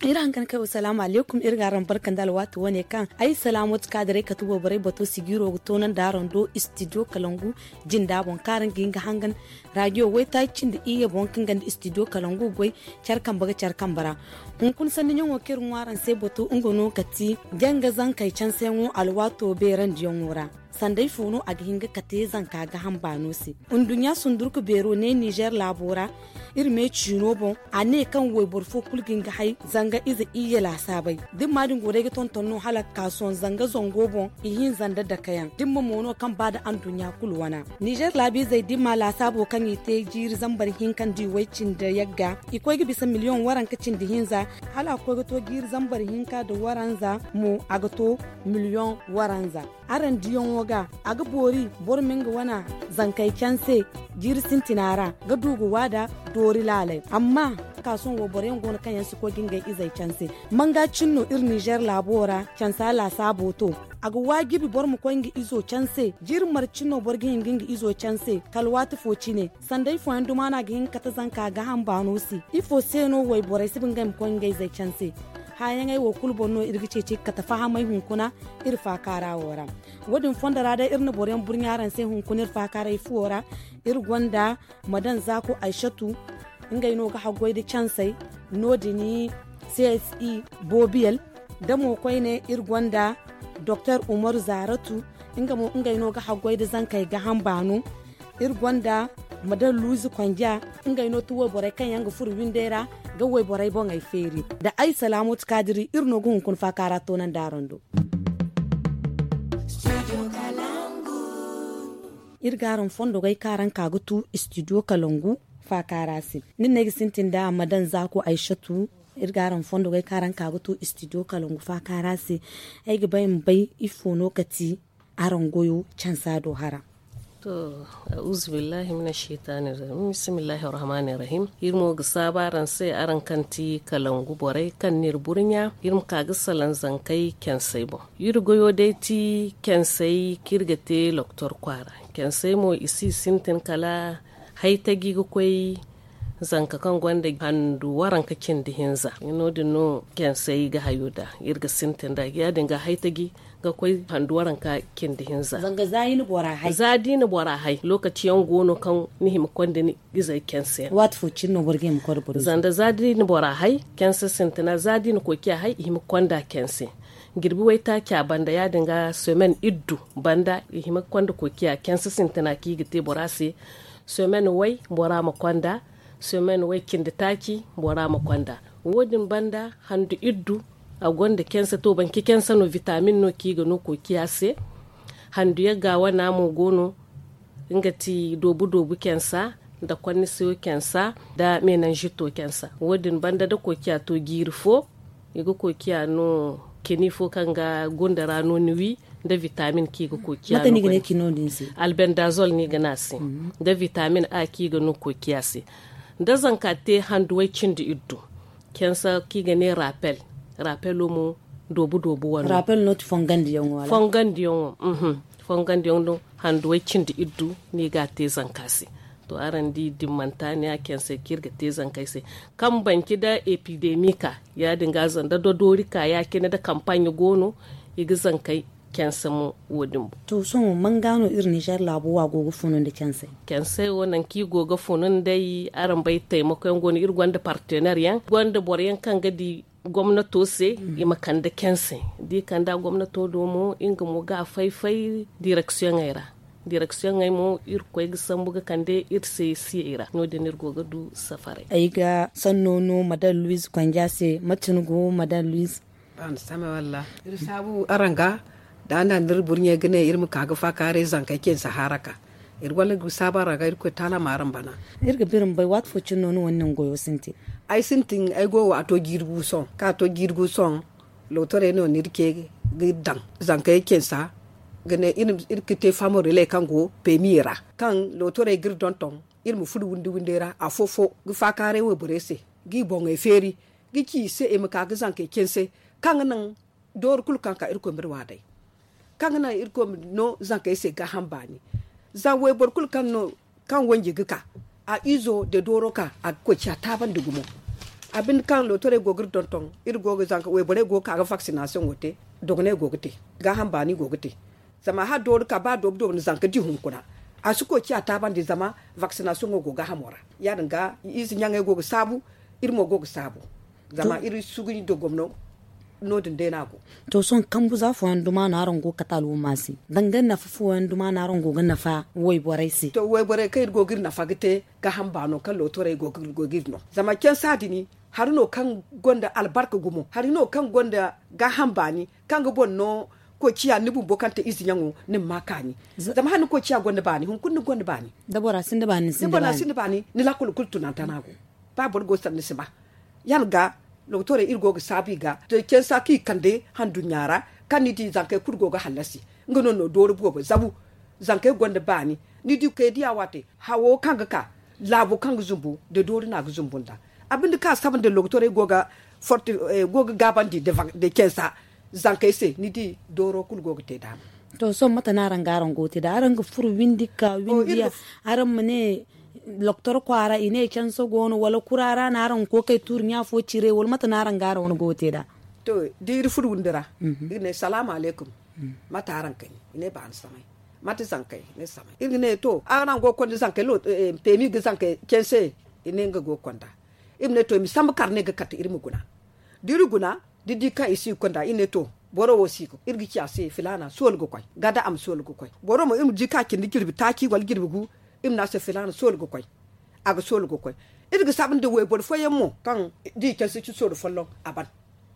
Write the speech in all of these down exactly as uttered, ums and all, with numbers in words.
Iri hangan kay wa salaamu alaykum, iri ga araŋ barkandi alwaati wane kaŋ ay salaamooti kaadiray kate wayborey bato sigiiro ga toonandi araŋ do istidiyo kalangu jinda boŋ kaŋ araŋ ga hin ga hangan raadiyo waytaaci cindi iyye boŋ kaŋ ganda istidiyo kalangu goy care kambe ga care kambe ra. Hunkuna sanni ɲaŋo kaŋ iri ŋwa araŋ se bato nga no ka ti janga zankey canseyaŋo alwaato beerandiyaŋo ra. Sanda ifo no a ga hin ga kate zanka gaaham baano se? Nduɲɲa sundurku beero ne nizer laabo ra. Iri me ciino boŋ a ne kaŋ wayboro fo kulu ga hin ga hay zanga ize iyye laasaabey da ni ma din go day ga tonton no hala ga ka sohõ zanga zango boŋ ihinza nda dakayaŋ da ni ma mo no kaŋ ba nda anduɲɲa kulu wana. Nizer laabiizey da ni ma laasaabo kaŋ i te jiiri zambar hinka nda i way cindi yagga i koy ga bisa miliyoŋ waranka cindi hinza. Hala a koy ga to jiiri zambar hinka nda waranza mo a ga to miliyoŋ waranza. Araŋ diyaŋo ga a ga boori boro ma nga wana zankey canse jiiri sintina ra ga du ga waada doori laaley. Amma ka sohõ wayboro yaŋ go no kaŋ yaŋ si koy ga ngey izey canse. Manga cine no iri nizer laabo ra cansa laasaabo to. A ga waajibi boro ma koy nga izo canse jiiri marcine no boro ga hin ga nga izo canse kala waati fo cine. Sanda ifooyaŋ duma no a ga hin ga kate zanka gaaham baano se? Ifo se no wayborey si ba ngey ma koy ngey zey canse? Hããyaŋey wo kulu boŋ no iri ga ceeci ga kate fahamey hunkuna iri faakaara wo ra. Wo- din fondo ra day iri na boroyaŋ burɲa araŋ se hunkuna iri faakaaray fuwo ra. Iri gonda madan zaako aysatu, ngey no ga haggoy nda cansey no- din cse boobiyel. Da mo koyne iri gonda doktor umaru zaaratu, nga mo ngey no ga haggoy nda zankey gaaham baano. Iri gonda madan luuzi konja, ngey no ti wayborey kaŋ yaŋ ga furo windey ra ga wayborey boŋey feeri. Nda ay salaamooti kaadiri iri no ga hunkuna faakaara toonandi araŋ do. Iri ga araŋ fondogey kaŋ araŋ ka ga tu istidiyo kalangu faakaara se. Nin no ay ga sintin nda madan zaako aysatu. Iri ga araŋ fondogey kaŋ araŋ ka ga tu istidiyo kalangu faakaara se. Ay ga bay ma bay ifo no ka ti araŋ goyo cansa do hara. To, auzubillahi mina shaytaani rajim, bismillahi rahmaani rahim. Iri mo ga saabu araŋ se araŋ kaŋ ti kalangu borey kaŋ n'iri burɲa iri ma ka ga salaŋ zankey kensey boŋ. Iri goyo day ti kensey kaŋ iri ga te loktor kwaara. Kensey mo i si sintin kala haytaji ga koy zanka kaŋ gonda handu waranka cindi hinza. No- din no kensey ga hayo nda iri ga sintin nda ya- din ga haytaji ga koy handu waranka cindi hinza. Zanga za i na bora hay za da i na bora hay lokaci yaŋ go no kaŋ ni hima konda ni izey kense yaŋ. Waati fo cine no boro ga hima konda boro zanga za da i na bora hay kense sintina za da i na koy ciya hay i hima konda kense. Jirbi waytaaca banda ya- din ga semen iddu banda i hima konda koy ciya kense sintina kaŋ i ga te bora se. Semen way bora ma konda semen way cindi taaci bora ma konda. Wo- din banda handu iddu a gonda kense to banci kense no vitamin no kaŋ i ga no koy ciya se. Handu yagga wana mo go no nga ti doobu doobu kensa nda konniseyo kensa nda menanzito kensa. Wo- din banda da koy ciya to jiiri fo i ga koy ciya no keni fo kaŋ ga gunda ra no ni wi nda vitamin kaŋ i ga koy ciya no albendazol no i ga ne a se. Nda vitamin a kaŋ i ga no koy ciya se nda zanka te handuwey cindi iddu. Kensa kaŋ i ga ne rapel. Rapelo mo doobu doobu wano. Fongandiyaŋo fongandiyaŋo handuwey cindi iddu no i ga a te zanka se. To araŋ di dimmanta ne a kensey kaŋ iri ga te zankey se kaŋ banci nda epidemi ka ya- din ga zanda dodoori ka ya- cine nda kampaaɲe go no i ga zankey kense mo wo- din boŋ. To sohõ manga no iri nizer laabo wo a go ga funu nda kensey? Kensey wo nangu kaŋ i go ga funu nd'ey araŋ bay taymako yaŋ go no iri gonda partener yaŋ gonda boro yaŋ kaŋ ga di gomnato se i ma kande kense. Da i kanda gomnato do mo nga mo ga a fay-fay direksiyoŋey ra. Direksiyoŋey mo irkoy ga sambu ga kande iri se siyey ra no- din iri go ga du safaray. Ay ga sanno no madam luwiz konja se mate ni go madam luwiz? Iri saabu araŋ ga da a na ni iri burɲey ga ne iri ma ka ga faakaaray zankey cine sahaara ka iri wala ga saabu araŋ ga irkoy taala ma araŋ bana. Iri ga biri ma bay waati fo cine no ni wane nangu goyo sintin? Ay sintin ay go waato jiiri gu sohõ kaŋ a to jiiri gu sohõ. Lootorey no no iri ce ga iri daŋ zankey cine sa ga ne iri ga te faamo relais kaŋ go peemiye ra kaŋ lootorey ga iri donton iri ma furo windi windey ra afo-fo ga faakaaray wayborey se ga i boŋey feeri ga ci i se i ma ka ga zankey canse kaŋ ga naŋ dooro kulu kaŋ ka irkoy ma iri wa day. Kaŋ ga naŋ irkoy ma no zankey se gaaham baani. Za wayboro kulu kaŋ no kaŋ wanji ga ka a izo da dooro ka a ga koy ciya taabandi gumo. A binde kaŋ lootorey go ga iri donton, iri go ga zanka wayborey go ga ka ga vaksinasiyoŋo te. Dogoney go ga te, gaaham baani go ga te. Zama hala doori ka ba doobu doobu na zanka di hunkuna, a si koy ciya taabandi zama vaksinasiyoŋo go gaahamo ra. Ya- din ga ize ɲaŋey go ga saabu, iri mo go ga saabu. Zama iri sugu nda gomno. No- din day no a go. To sohõ kambu za fooyaŋ duma no araŋ go ga kate alhumma se? Danga nafa fooyaŋ duma no araŋ go ga nafa wayborey se? To wayborey kaŋ iri go ga iri nafa ga te, gaaham baano kaŋ lootorey go ga iri no. Zama cansa din hari no kaŋ gonda albarka gumo, hari no kaŋ gonda gaaham baani, kaŋ ga boŋ no koy ciya ni bumbo kaŋ te ize ɲaŋo, ni ma ma kaani. Zama hala ni koy ciya gonda baani hunkuna ni gonda baani. Da bora sinda baani ni sinda baani. Ni lakkol kulu tunanta no a go. Ba boro go sanda ni si ba. Yaŋ ga, lootorey iri go ga saabu i ga cansa kaŋ i kande handuɲɲa ra, kaŋ ni di zankey kulu go ga hallasi. Nga no no doori boobo zabu. Zankey gonda baani. Ni di kay diya waate, hawo kaŋ ga ka, laabo kaŋ ga zumbu nda doori no a ga zumbu nd'a. A binde kaŋ a saba nda lootorey go ga gaabandi nda cansa zankey se, ni di dooro kulu go ga te daama. To sohõ mate no araŋ ga araŋ go ga te nd'a araŋ ga furo windi ga ka windi ya? Araŋ ma ne loktor kwaara i ne cansa go no wala kura ra no araŋ ga kookay tuuri ɲa fo cire wala mate no araŋ ga araŋ wane go ga te nd'a? To, da iri furo windi ra, iri ne salaamu alaykum. Mate araŋ kani? I ne baani samay. Mate zankey? I ne samay. Iri ga ne to araŋ go ga konda zankey? Peemi ga zankey canse? I ne nga go ga konda. Iri ma ne to i ma sambu karne ga kate iri ma guna. Da iri guna, da iri di kaŋ i si ga konda iri ne to, boro wo si ga iri ga ci a se filaana soola ga koy. Gada a ma soola ga koy. Boro mo iri ma di kaŋ a cindi jirbi taaci wala jirbi gu, iri ma ne a se filaana soola ga koy. A ga soola ga koy. Iri ga saabu nda wayboro fooyaŋ mo kaŋ da i canse ci soola folloŋ a ban.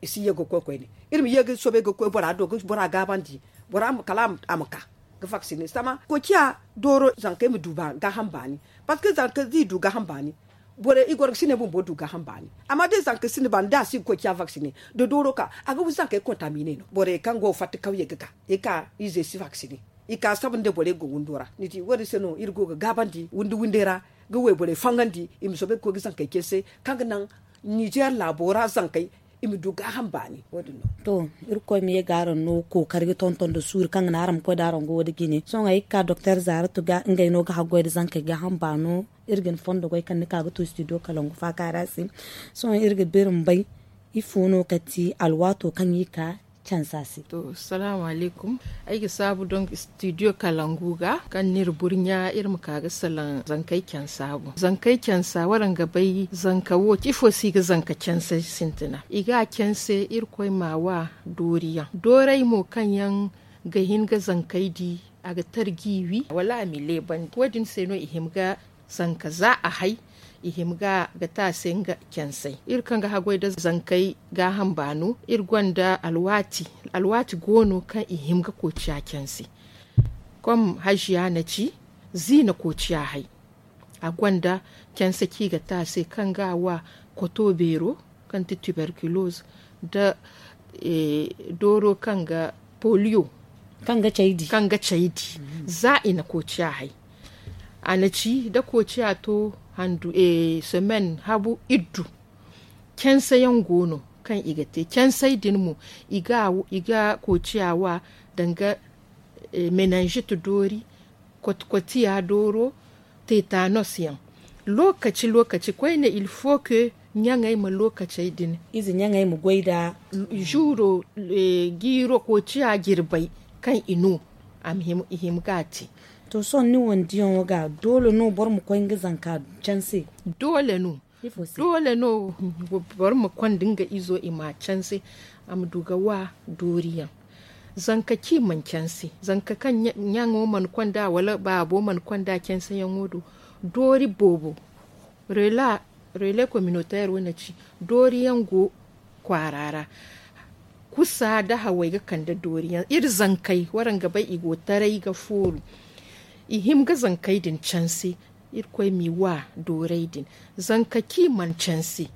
I si ye ga koy koyne. Iri ma ye ga soobay ga koy bora do ga bora gaabandi, bora kala a ma ka ga vaksine sama koy ciya dooro zankey ma du gaaham baani. Parceque zanka da i du gaaham baani, borey i goro ga si ne bumbo du gaaham baani. Amma da zanka sinda baani da a si ga koy ciya vaksine, da dooro ka a ga wi zankey kontamine no. Borey kaŋ go ga fatta kawyey ga ka i ka ize si vaksine. I ka saba nda borey go windo ra ni di wo- din se no iri go ga gaabandi windi windey ra, ga wayborey fangandi i ma soobay ga koy ga zankey canse, kaŋ ga naŋ nizeer laabo ra zankey i ma du gaaham baani. Wo- din no. To, irkoy ma ye ga araŋ no kookari ga tonton nda suuri kaŋ ga naŋ araŋ ma koy nda araŋ go wo- din jine. Sohõ ay ga ka doktor zaaratu ga ngey no ga haggoy nda zankey gaaham baano. Iri ga ni fondo goy kaŋ ni ka ga to studio kalangu faaka ra se. Sohõ iri ga biri ma bay ifo no kati alwaato kaŋ i ka cansa se. To salaamu alaykum. Ay ga saabu donk studio kalangu ga kaŋ no iri burɲa iri ma ka ga salaŋ zankey cansa boŋ. Zankey cansa waraŋ ga bay zanka wo ifo se i ga zanka canse sintina i ga a canse irkoy ma a wa dooriyaŋ doorey mo kaŋ yaŋ ga hin ga zankey di a ga tarji wi wala a ma i leebandi wo- din se no i hima ga zanka za a hay i hima ga ga te a se nga cansay. Iri kaŋ ga haggoy nda zankey gaaham baano iri gonda alwaati alwaati go no kaŋ i hima ga koociya canse. Kom haziya na ci ziina koociya hay. A gonda canse kaŋ i ga te a se kaŋ ga a wa koto beero kaŋ ti tuberculose nda dooro kaŋ ga poliyo kaŋ ga caydi za i na koociya hay. A na ci da koociya to handu semaine habu iddu canse yaŋ go no kaŋ i ga te cansey din mo i ga koociya wa danga menanzit doori kotkotiya dooro tetanos yaŋ. Lookaci lookaci koyne il faut que ɲaŋey ma lookacey din ize ɲaŋey ma goy nda zuuro jiiro koociya jirbey kaŋ i no i hima ga a te. To sohõ ni wane diyaŋo ga doole no boro ma koy nga zanka canse? Doole no. Doole no boro ma konda nga izo i ma a canse a ma du ga wa dooriyaŋ. Zanka ci mana canse zanka kaŋ ɲaŋo mana konda wala baabo mana konda canseyaŋo do doori boobo. Relais communautaire wane ci dooriyaŋ go kwaara ra. Kusa nda hawey ga kande dooriyaŋ iri zankey waraŋ ga bay i go taray ga fooru. I hima ga zankey din canse. Irkoy m'i wa doorey din zanka kaŋ i mana canse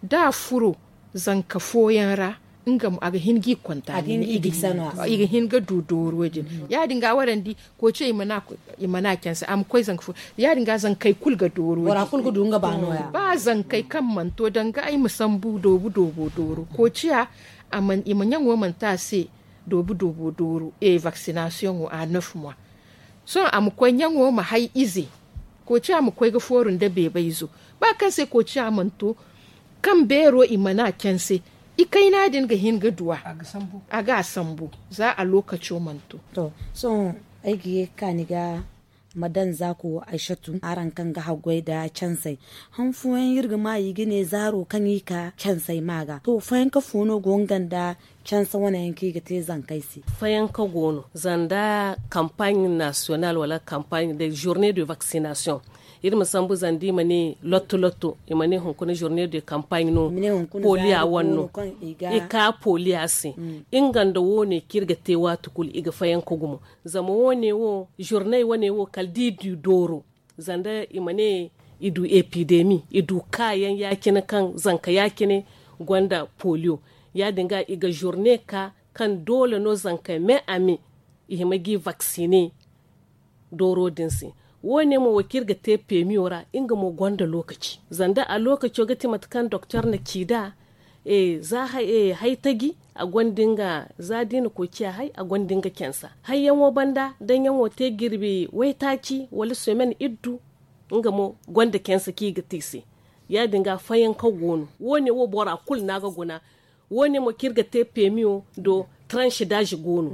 da a furo zanka fooyaŋ ra nga mo a ga hin g'i konta i ga hin ga du dooro din. Ya- din ga waraŋ di koociya i mana canse a ma koy zanka fooyaŋ ya- din ga zankey kulu ga dooro. Ba zankey kaŋ mana to danga ay ma sambu doobu doobo dooro koociya i ma ɲaŋo mana te a se. Doobu doobo dooro e vaksinasiyoŋo a neuf mois. Sohõ a ma koy ɲaŋo ma hay ize koociya ma koy ga fooru nda beebay izo ba kaŋ se koociya mana to. kaŋ beero i mana canse, i kayna din ga hin ga duw'a. A ga a sambu za a lookaco mana to. To, sohõ ay ga ye ga ka ni ga madan zaako aysatu araŋ kaŋ ga haggoy nda cansey. Han fooyaŋ iri ga ma i ga ne zaaro kaŋ i ka cansey ma ga to fayanka fo no go nga nda canse wane yaŋ kaŋ i ga te zankey se. Fayanka go no zanda kampaaɲ nasiyonal wala kampaaɲ de zorne de vaksinasiyoŋ. Iri ma sambu zanda i ma ne lotto lotto i ma ne hunkuna zorne de kampaaɲ no. Poliya wane no i ka poliya se. Nga nda wo- ne kaŋ iri ga te waati kulu i ga fayanka gumo. Zama wo- ne wo zorney wane wo kala da i du dooro zanda i ma ne i du epidemi i du kaayaŋ ya- cine kaŋ zanka ya- cine gonda poliyo. Ya- din ga i ga zorne ka kaŋ doole no zankey me a me i hima ga i vaksine dooro din se. Wo- ne mo wo kaŋ iri ga te peemiyo ra nga mo gonda lookaci zanda a lookaco ga ti mate kaŋ doktor na ci nd'a. Za hay taji a gonda nga za da i na koy ciya hay a gonda nga cansa hayyaŋo banda daŋ yaŋo te jirbi waytaaci wala semen iddu. Nga mo gonda cansa kaŋ i ga te i se. Ya- din ga fayanka go no wo- ne wo bora kulu no a ga guna. Wo- ne mo kaŋ iri ga te peemiyo do transidazi go no.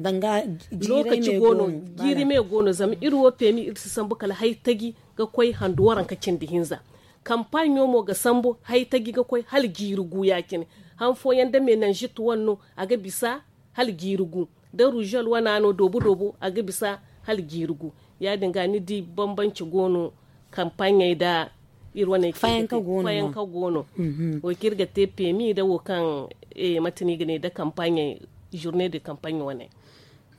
Lookaci go no. Jiiri me go no zama iri wo peemi iri si sambu kala hay taji ga koy handu waranka cindi hinza. Kampaaɲo mo ga sambu hay taji ga koy hala jiiri gu ya- cine. Han fooyaŋ da menanzit wane no a ga bisa hala jiiri gu. Da ruuzol wana no doobu doobu a ga bisa hala jiiri gu. Ya- din ga ni di bambanci go no kampaaɲey nda iri wane fayanka go no. Wo kaŋ iri ga te peemi nda wo kaŋ mate no i ga ne nda kampaaɲey zorne de kampaaɲ wane.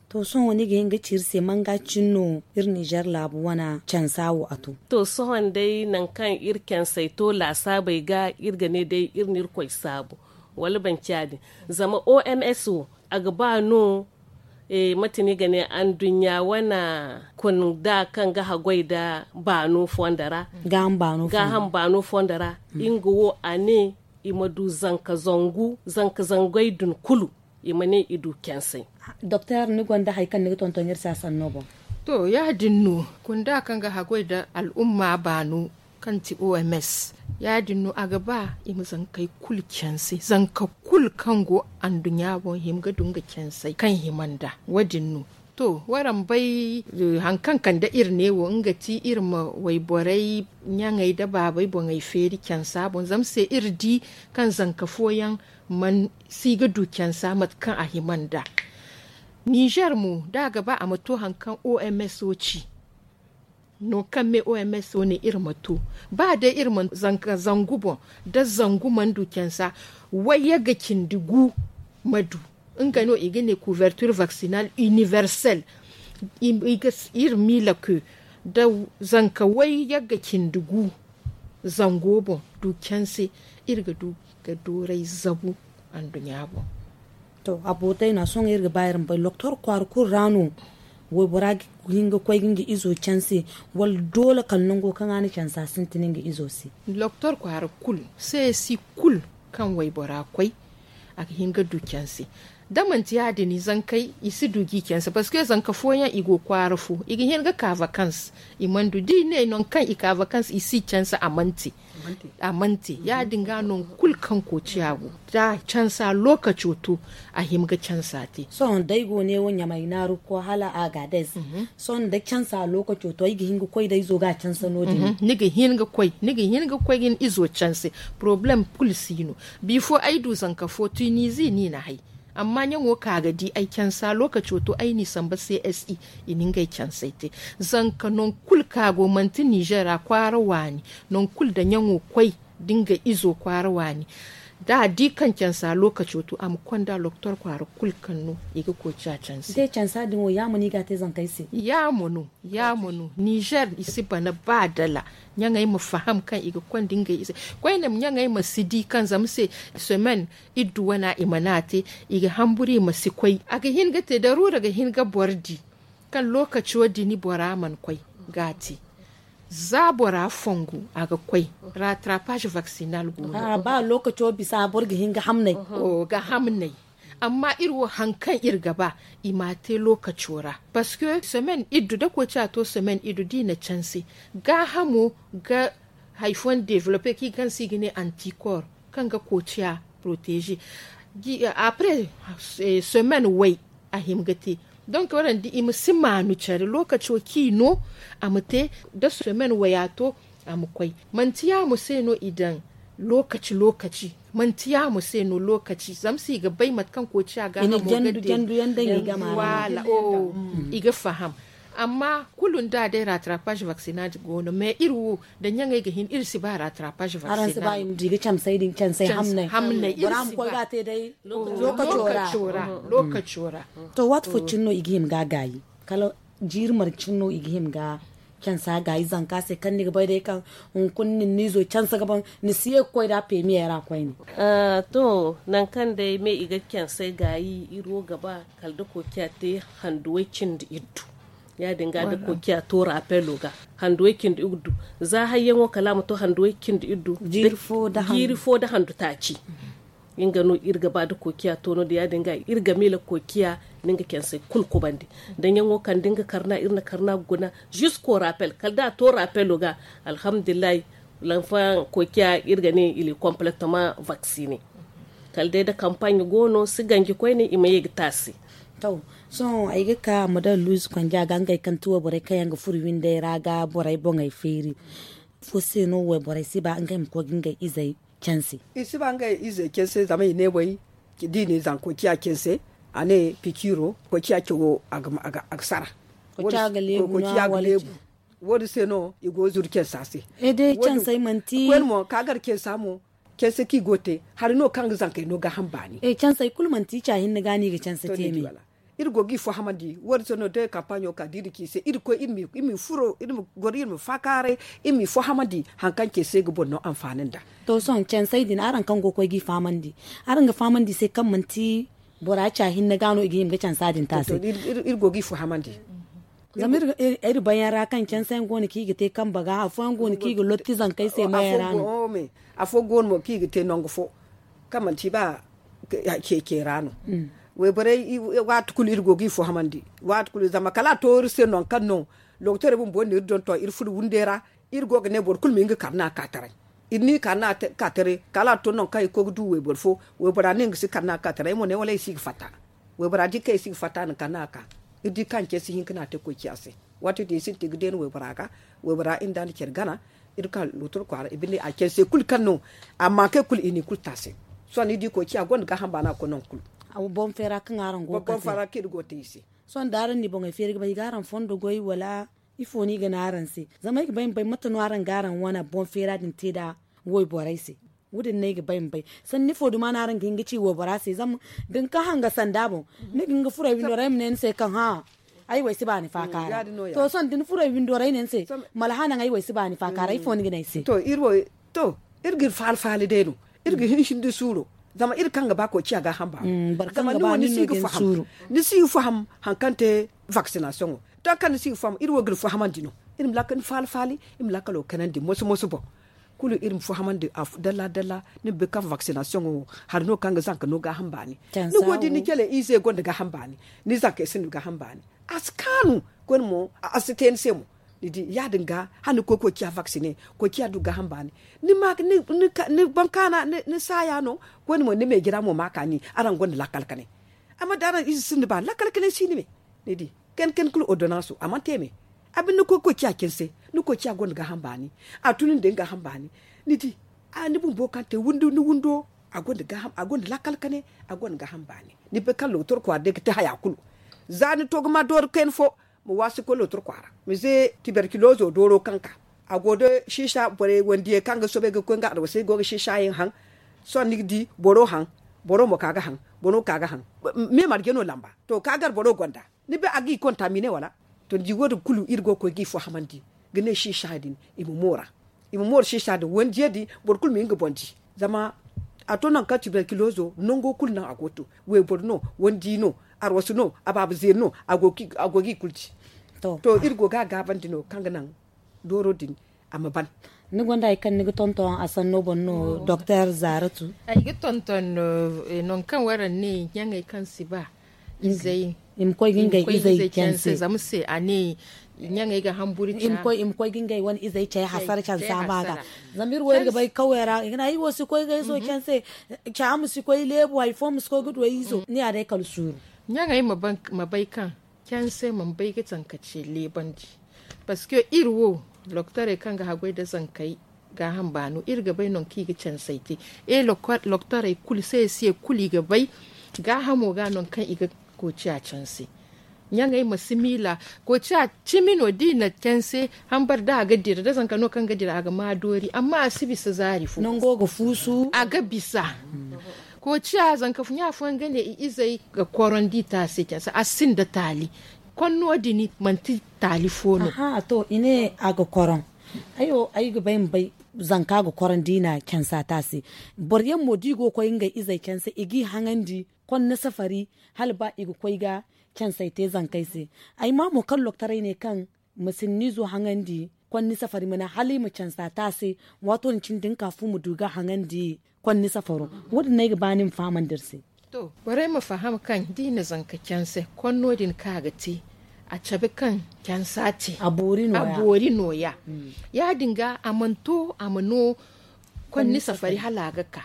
To sohõ ni ga hin ga ci iri se manga cine no iri nizer laabu wane cansa wo a to? To sohõ day nangu kaŋ iri cansey to laasaabey ga iri ga ne day iri na irkoy saabu wala banci ya- din. Zama oms wo a ga ba no mate no i ga ne anduɲɲa wane kunda kaŋ ga haggoy nda baano fondo ra. Gaaham baano fondo ra nga wo a ne i ma du zanka zangu zanka zangey din kulu i ma ne i du cansey. Doktor ni gonda hari kaŋ ni ga tonton iri se a sanno boŋ? To ya- din no kunda kaŋ ga haggoy nda al'umma baano kaŋ ti oms ya- din no a ga ba i ma zankey kulu canse zanka kulu kaŋ go anduɲɲa boŋ hima ga du nga cansey kaŋ hima nd'a wo- din no. To waraŋ bay hari kaŋ kande iri ne wo nga ti iri ma wayborey ɲaŋey nda baabey boŋey feeri cansa boŋ zama se iri di kaŋ zanka fooyaŋ si ga du cansa mate kaŋ a hima nd'a. Nizer mo da a ga ba a ma to hari kaŋ oms wo ci nangu kaŋ me oms wo ne iri ma to ba day iri ma zanka zangu boŋ da zangu mana du cansa wayye ga cindi gu ma du. Nga no i ga ne couverture vaccinale universelle. Iri miila ke da zanka wayye ga cindi gu zango boŋ du canse iri ga du ga dooray zabu anduɲɲa boŋ. To a bootay no a sohõ iri ga ba iri ma bay doktor kwaara kulu ra no waybora ga hin ga koy ga nga izo canse wala doole kala nango kaŋ a na canse a sintin nga izo se? Doktor kwaara kulu se si kulu kaŋ waybora koy a ga hin ga du canse. Da manti ya- din zankey i si du ga i canse parceque zanka fooyaŋ i go kwaara fo i ga hin ga ka vakans i mana du da i ne nangu kaŋ i ka vakans i si canse a mana te. A mana te ya- din ga nangu kulu kaŋ koociya go da cansa lookaco to a hima ga cansa te. Sohõ da ay go ne wo ɲamay naaru ga koy hala agadez sohõ da cansa lookaco to ay ga hin ga koy da izo ga a canse no- din? Ni ga hin ga koy ni ga hin ga koy ga ni izo canse. Porobalem kulu si no. Bifo ay du zanka fo tunizi no i na hay amma ɲaŋo ka ga di ay cansa lookaco to ay n'i samba csi i na ngey cansey te. Zanka nangu kulu ka go manti nizer ra kwaara waani nangu kulu da ɲaŋo koy da nga izo kwaara waani da a di kaŋ cansa lookaco to a ma konda doktor kwaara kulu kaŋ no i ga koy ci a canse. Te cansa din wo ya ma no i ga a te zankey se? Ya ma no. Ya ma no nizer i si bana ba dala ɲaŋey ma faham kaŋ i ga konda ngey ize koyne ɲaŋey ma si di kaŋ zama se semaine iddu wana i mana te i ga hamburu i ma si koy a ga hin ga te daruura ga hin ga boro di kaŋ lookaco din bora mana koy ga a te. Za bora fongu a ga koy rattrapage vaccinal go no. Ba lookaco bisa boro ga hin ga hamnay. Ga hamnay. Amma iri wo hari kaŋ iri ga ba i m'a te lookaco ra. Parceque semaine iddu da koociya to semaine iddu da i na canse gaahamo ga hari fooyaŋ developpe kaŋ i ga ne antikor. kaŋ ga koociya protégé après semaine way a hima ga te. Donc waraŋ di i ma si maanu care lookaco kaŋ i no a ma te da semaine waya to a ma koy. Manti yaamo se no i daŋ lookaci lookaci manti yaamo se no lookaci zama se i ga bay mate kaŋ koociya ga hamo ga te. I ga faham. Amma kulu nda day rattrapage vaccinage go no mais iri wo da ɲaŋey ga hin iri si ba rattrapage vaccinage. Hamney iri si ba. Lookaco ra. Lookaco ra. To waati fo cine no i ga hima ga gaayi kala jiiri marcin no i ga hima ga cansa gaayi zanka se kaŋ ni ga bay day kaŋ hunkuna nin no izo cansa ga ban ni si ye ga koy da pemiye ra koyne. To nangu kaŋ day me i ga cansay gaayi iri wo ga ba kala da koociya te handuwey cindi iddu. Ya- din ga da koociya to rapelo ga handuwey cindi iddu. Za hayyaŋo kala a ma to handuwey cindi iddu jiiri fo da handu taaci. Nga no iri ga ba da koociya to no- din ya- din ga iri ga miila koociya. Ni nga cansay kulu kubandi da ɲaŋo kaŋ da nga karna iri na karna guna zisko rapel kala da a to rapelo ga. Alhamdulillahi. Lanfaŋ koociya iri ga ne il est complètement vaccine. Kala day da kampaɲe go no si ganji koyne i ma ye ga te a se. To sohõ ay ga ka madam luiz konja ga ngey kaŋ ti wayborey kaŋ yaŋ ga furo windey ra ga borey boŋey feeri? Ifo se no wayborey si ba ngey ma koy ga ngey izey canse? I si ba ngey izey canse zama i ne way da i ne zanka koociya canse a ne pikiiro koociya cawo a ga sara. Koociya ga leebu. Wo- din se no i go ga zuru cansa se. Koyne mo ka gar cansa mo canse kaŋ i go ga te hari no kaŋ ga zankey no gaaham baani. Cansey kulu manti i ca hinne ga no i ga canse te me. Iri go ga i fahamandi wo- din se no day kampaaɲo ka da iri ci i se iri koy iri ma i furo iri ma goro iri ma faakaaray. Iri ma i fahamandi hari kaŋ canse ga boro no anfaani nd'a. To sohõ cansey din araŋ kaŋ go ga koy ga i fahamandi araŋ ga fahamandi i se kaŋ manti bora ca hinne ga no i ga hima ga cansa din te a se. Iri go ga i fahamandi. Zama iri bayaŋ ra kaŋ canse yaŋ go no kaŋ i ga te kambe ga afooyaŋ go no kaŋ i ga lotti zankey se meeyaŋ ra no. Afo go no mo kaŋ i ga te nangu fo kaŋ manti ba ceece ra no. Wayborey waati kulu iri go ga i fahamandi waati kulu zama kala a to iri se nangu kaŋ no doktorey bumbo no iri donton iri furo windey ra. Iri go ga ne boro kulu ma hin ga karna ka taray. Iri n'i karna ka taray kala a to nangu kaŋ i ga koy ga du wayboro fo waybora ne nga si karna ka taray ay mo ne wala ay si ga fatta. Waybora di kaŋ ay si ga fatta a na karna ka iri di kaŋ care si hin ga no a te koy ciya se. Waati din i sintin ga deeni waybora ga waybora iri nda a na care gana. Iri ka lootoro kwaara i binde a care se kulu kaŋ no amma kay kulu i n'i kulu te a se. Sohõ ni di koy ciya gonda gaaham baana ga koy nangu kulu. Boŋ feera kaŋ araŋ go ga te i se. Sohõ da araŋ na i boŋey feeri ga bay i ga araŋ fondo goy wala ifo no i ga ne araŋ se? Zama ay ga bay ma bay mate no araŋ ga araŋ wane boŋ feera din te nda wayborey se. Wo- din no ay ga bay ma bay sanni ifo duma no araŋ ga hin ga ci waybora se zama da ni ka hanga sanda boŋ ni ga hin ga furey windo ra ay ma ne ni se kaŋ hã. Ay wo ay si ba ni faaka ra. To sohõ da ni furey windo ra ay ne ni se mala hã naŋ ay wo ay si ba ni faaka ra ifo ni ga ne ay se? To iri ga iri faali faali day no. Iri ga hin sindi suuro zama iri kaŋ ga ba koy ciya gaaham baano. Zama ni wo ni si ga faham ni si ga faham hari kaŋ te vaksinasiyoŋo. Da kaŋ ni si ga faham iri wo ga iri fahamandi no. Iri ma laakal ni faali faali iri ma laakalo kanandi moso moso boŋ. Kulu iri ma fahamandi dalla dalla ni ma bay kaŋ vaksinasiyoŋo wo hari no kaŋ ga zanka no gaaham baani. Ni go ga di ni jele ize gonda gaaham baani ni zankey sinda gaaham baani. A si kaanu koyne mo a si te ni se mo. Ni di ya- din ga hala ni koy koy ciya vaksine koy ciya du gaaham baani. Ni ma ni baŋ kaana ni saaya no. Koyne mo ni meejira mo ma kaani araŋ gonda lakkal kanay. Amma da araŋ ize sinda ba lakkal kanay si ni me. Ni di kani kani kulu ordonanso a mana te me. A binde ni koy koy ciya canse ni koy ciya gonda gaaham baani. A tun ni day ni gaaham baani. Ni di ni bumbo kaŋ te ni windo a gonda lakkal kanay. A gonda gaaham baani. Ni bay kaŋ lootor kwaara day ga te haya kulu. Za ni to ga ma doori kayna fo ma waasi ga koy lootor kwaara ma ze tiberkilozo dooro kaŋ ka a go da siisa borey wandiyey kaŋ ga soobay ga koy nga adawasay go ga siisa yaŋ haŋ. Sohõ ni ga di boro haŋ boro mo ka ga haŋ. Boro ka ga haŋ. Me marje no lamba to ka gar boro gonda ni bay a ga i kontamine wala? To ni di wo- din kulu iri go ga koy ga i fahamandi ga ne siisa din i ma moora. I ma moora siisa din wandiyey din boro kulu ma hin ga boŋ di. Zama a to nangu kaŋ tiberkilozo nango kulu naŋ a go to wayboro no wandi no arwasu no abaaba zeeri no a go ga i kulu di. To iri go ga a gaabandi no kaŋ ga naŋ dooro din a ma ban. Ni gonda hari kaŋ ni ga tonton a sanno boŋ no doktor zaaratu? Ay ga tonton nangu kaŋ waraŋ ne ɲaŋey kaŋ si ba izey I ma koy ga ngey izey canse. Zama se a ne ɲaŋey ga hamburu ca. I ma koy ga ngey wane izey cay hasara cansa ma ga. Zama iri wo iri ga bay kawey ra i ga ne ay wo si koy ga izo canse. Ca ma si koy leebu hari fo ma si koy ga du ay izo ni ya day kala suuru. Ɲaŋey ma bay kaŋ canse mana bay ga tankace leebandi. Parceque iri wo loktorey kaŋ ga haggoy nda zankey gaaham baano iri ga bay nangu kaŋ i ga cansey te. E loktorey kulu se se kulu i ga bay gaahamo ga nangu kaŋ i ga koociya canse. Ɲaŋey ma si miila koociya cimi no da i na canse hambar da a ga dira da zanka no kaŋ ga dira a ga ma doori amma a si bisa zaari fo. Nango ga fuusu a ga bisa. Koociya zanka ɲa fooyaŋ ga ne i izey ga korondi taase canse a sinda taali. Konno din manti taali fo no. Aha to i ne a ga koron. Ay wo ay ga bay ma bay zanka ga korondi i na cansa taase. Boro yaŋ mo da i go ga koy ngey izey canse i g'i haŋandi konno safari hala ba i ga koy ga cansey te zankey se. Ay ma mo kaŋ loktorey ne kaŋ ma sinniizo haŋandi konni safari mana hala i ma cansa taase. Waato din cine da ni ka fu ma du ga haŋandi konni safaro. Wo- din no ay ga ba ni ma fahamandi iri se. To borey ma faham kaŋ da i na zanka canse konno din kaŋ a ga te a cabe kaŋ cansa te a boori nooya. Ya- din ga a mana to a ma no konni safari hala a ga ka